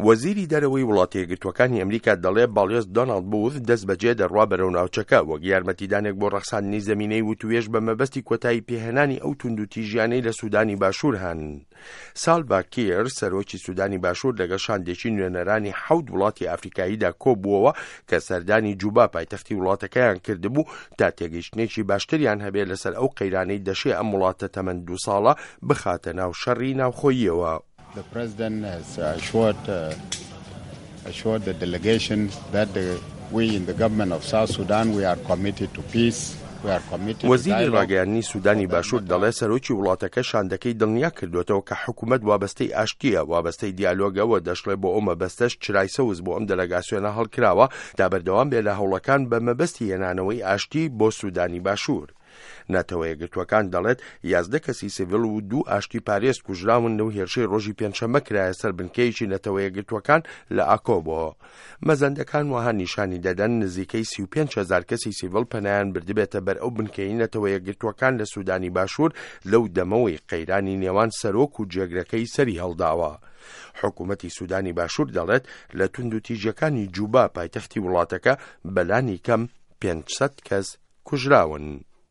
وەزیری دەرەوەی وڵاتە یەکگرتووەکانی ئەمریکا دەڵێ باڵیۆز دۆناڵد بووث دەستبەجێ دەڕوا بەرەو ناوچەکە وەک یارمەتیدانێک بۆ ڕەخساندنی زەمینەی وتووێژ بە مەبەستی کۆتایی پێهێنانی ئەو توندوتیژیانەی لە سودانی باشوور هەن. سالڤا کیر، سەرۆکی سودانی باشوور لەگەڵ شاندێکی نوێنەرانی حەوت وڵاتی ئافریکاییدا کۆبووەوە کە سەردانی جوبا پایتەختی وڵاتەکەیان کردبوو تا تێگەیشتنێکی باشتریان هەبێ لەسەر ئەو قەیرانەی دەشێ ئەم وڵاتە تەمەن دوو ساڵە بخاتە ناو شەڕی ناوخۆییەوە. The president has assured, assured the delegation that the, we in the government of South Sudan we are committed to peace. وەزیری ڕاگەیاندنی سودانی باشوور دەڵێت سەرۆکی وڵاتەکە شاندەکەی دڵنیا کردوێتەوە کە حکوومەت وابەستەی ئاشتییە، وابەستەی دیالۆگە و دەشڵێ بۆ ئەو مەبەستەش چرای سەوز بۆ ئەم دەلەگاسیۆنە هەڵکراوە تا بەردەوام بێ لە هەوڵەکان بە مەبەستی هێنانەوەی ئاشتی بۆ سودانی باشوور. نەتەوەیەکگرتووەکان دەڵێت 11 کەسی سیڤیل و دوو ئاشتی پارێز کوژراون لەو هێرشەی ڕۆژی پێنجشەممە کرایە سەر بنکەیەکی نەتەوەیەکگرتووەکان لە ئاکۆبۆ. مەزەندەکان وەها نیشانی دەدەن نزیکەی 35 هەزار کەسی سیڤیل پەنایان بردبێتە بەر ئەو بنکەی نەتەوەیەکگرتووەکان لە سودانی باشوور لەو دەمەوەی قەیرانی نێوان سەرۆک و جێگرەکەی سەری هەڵداوە. حکوومەتی سودانی باشوور دەڵێت لە توندوتیژیەکانی جوبا پایتەختی وڵاتەکە بەلانی کەم 500 کەس کوژراون.